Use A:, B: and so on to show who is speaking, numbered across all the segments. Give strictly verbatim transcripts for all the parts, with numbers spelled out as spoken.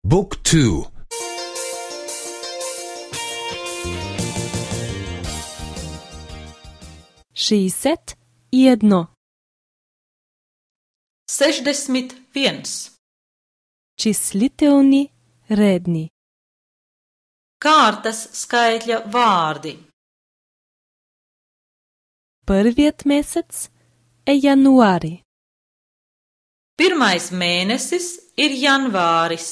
A: Book two.
B: šеесет и едно.
C: Sešdesmit viens.
B: Числителни редни.
C: Kārtas skaitļa vārdi.
B: Првиот месец е јануари.
C: Pirmais mēnesis ir janvāris.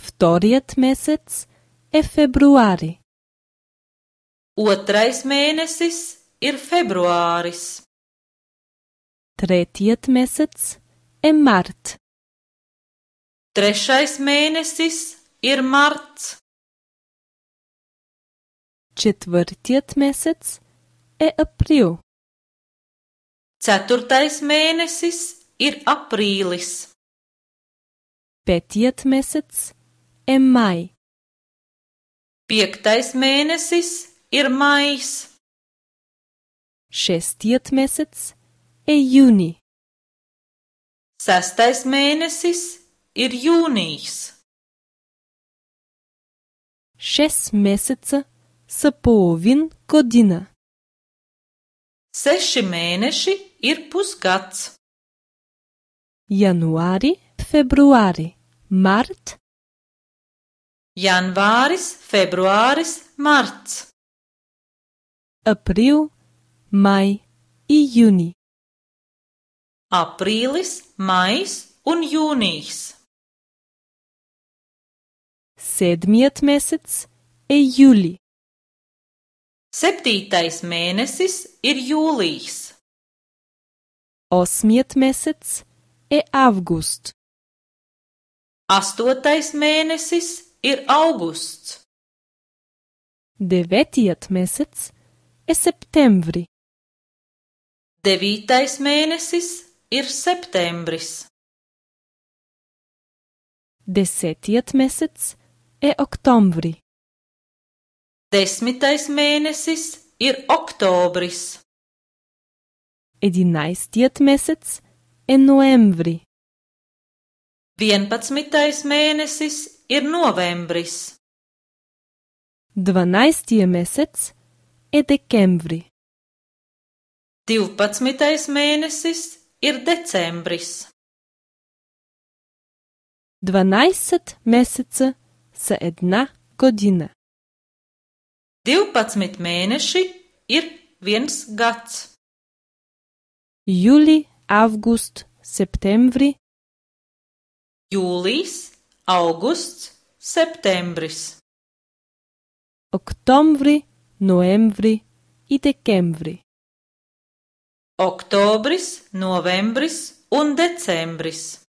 B: Вториот месец е февруари.
C: Otrais mēnesis ir februāris.
B: Третиот месец е март.
C: Trešais mēnesis ir marts.
B: Четвртиот месец е април.
C: Ceturtais mēnesis ir aprīlis.
B: Петиот месец е мај.
C: Piektais mēnesis ir maijs.
B: Шестиот месец е јуни.
C: Sestais mēnesis ir jūnijs.
B: Шест месеца са половин година.
C: Seši mēneši ir pusgads.
B: Јануари, февруари, март,
C: Janvāris, februāris, marts.
B: април, мај и јуни.
C: Aprīlis, maijs un jūnijs.
B: Седмиот месец е јули.
C: Septītais mēnesis ir jūlijs.
B: Осмиот месец е август.
C: Astotais mēnesis ir augusts.
B: Деветиот месец е септември.
C: Devītais mēnesis ir septembris.
B: Десетиот месец е октомври.
C: Desmitais mēnesis ir oktobris.
B: Единаесеттиот месец е ноември.
C: Vienpadsmitais mēnesis ir novembris.
B: Дванаесеттиот месец е декември.
C: Divpadsmitais mēnesis ir decembris.
B: дванаесет месеца са една година.
C: Divpadsmit mēneši ir viens gads.
B: Јули, август, септември,
C: Jūlijs, augusts, septembris.
B: октомври, ноември и декември.
C: Oktobris, novembris un decembris.